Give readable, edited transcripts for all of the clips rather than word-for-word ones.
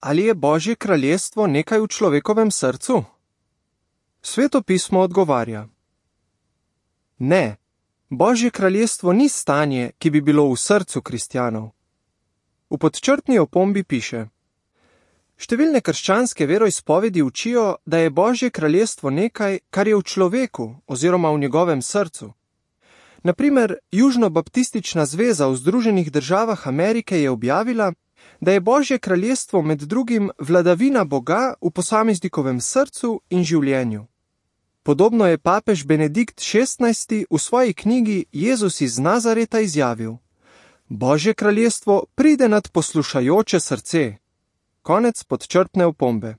ali je Božje kraljestvo nekaj v človekovem srcu? Sveto pismo odgovarja: ne, Božje kraljestvo ni stanje, ki bi bilo v srcu kristjanov. V podčrtni opombi piše: številne krščanske veroizpovedi učijo, da je Božje kraljestvo nekaj, kar je v človeku oziroma v njegovem srcu. Na primer, Južno-baptistična zveza v Združenih državah Amerike je objavila, da je Božje kraljestvo med drugim vladavina Boga v posameznikovem srcu in življenju. Podobno je papež Benedikt XVI v svoji knjigi Jezus iz Nazareta izjavil: Božje kraljestvo pride nad poslušajoče srce. Konec podčrtne opombe.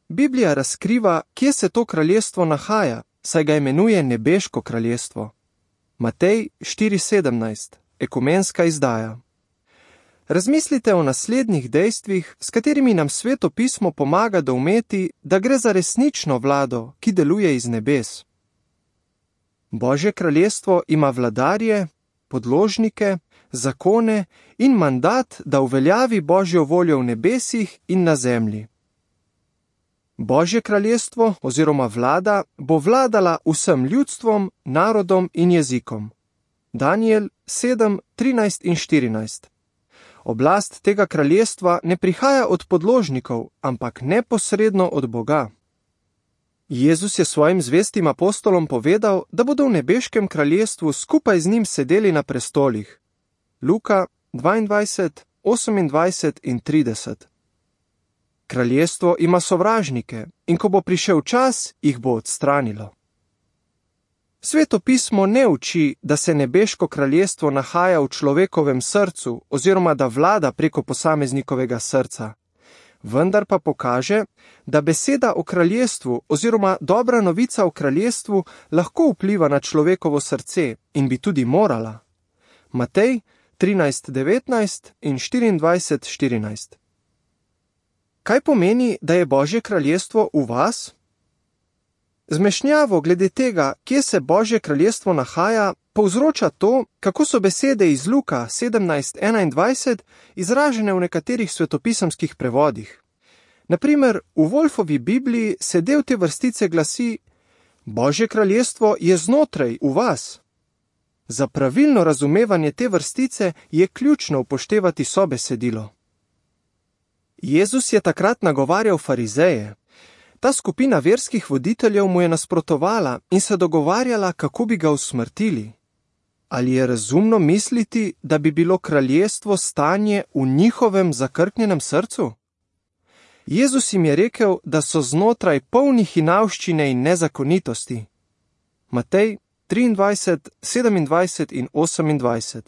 Biblija razkriva, kje se to kraljestvo nahaja, saj ga imenuje nebeško kraljestvo. Matej 4:17, ekumenska izdaja. Razmislite o naslednjih dejstvih, s katerimi nam Sveto pismo pomaga doumeti, da gre za resnično vlado, ki deluje iz nebes. Božje kraljestvo ima vladarje, podložnike, zakone in mandat, da uveljavi Božjo voljo v nebesih in na zemlji. Božje kraljestvo oziroma vlada bo vladala vsem ljudstvom, narodom in jezikom. Daniel 7:13 in 14. Oblast tega kraljestva ne prihaja od podložnikov, ampak neposredno od Boga. Jezus je svojim zvestim apostolom povedal, da bodo v nebeškem kraljestvu skupaj z njim sedeli na prestolih. Luka 22:28 in 30. Kraljestvo ima sovražnike in ko bo prišel čas, jih bo odstranilo. Sveto pismo ne uči, da se nebeško kraljestvo nahaja v človekovem srcu oziroma da vlada preko posameznikovega srca. Vendar pa pokaže, da beseda o kraljestvu oziroma dobra novica o kraljestvu lahko vpliva na človekovo srce in bi tudi morala. Matej 13:19 in 24:14. Kaj pomeni, da je Božje kraljestvo v vas? Zmešnjavo glede tega, kje se Božje kraljestvo nahaja, povzroča to, kako so besede iz Luka 17:21 izražene v nekaterih svetopisemskih prevodih. Na primer, v Wolfovi Bibliji se del te vrstice glasi: Božje kraljestvo je znotraj v vas. Za pravilno razumevanje te vrstice je ključno upoštevati sobesedilo. Jezus je takrat nagovarjal farizeje. Ta skupina verskih voditeljev mu je nasprotovala in se dogovarjala, kako bi ga usmrtili. Ali je razumno misliti, da bi bilo kraljestvo stanje v njihovem zakrknjenem srcu? Jezus jim je rekel, da so znotraj polni hinavščine in nezakonitosti. Matej 23:27 in 28.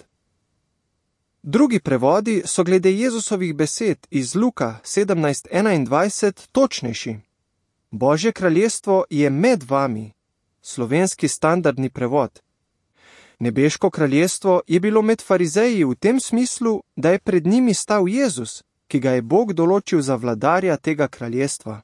Drugi prevodi so glede Jezusovih besed iz Luka 17:21 točnejši. Božje kraljestvo je med vami. Slovenski standardni prevod. Nebeško kraljestvo je bilo med farizeji v tem smislu, da je pred njimi stal Jezus, ki ga je Bog določil za vladarja tega kraljestva.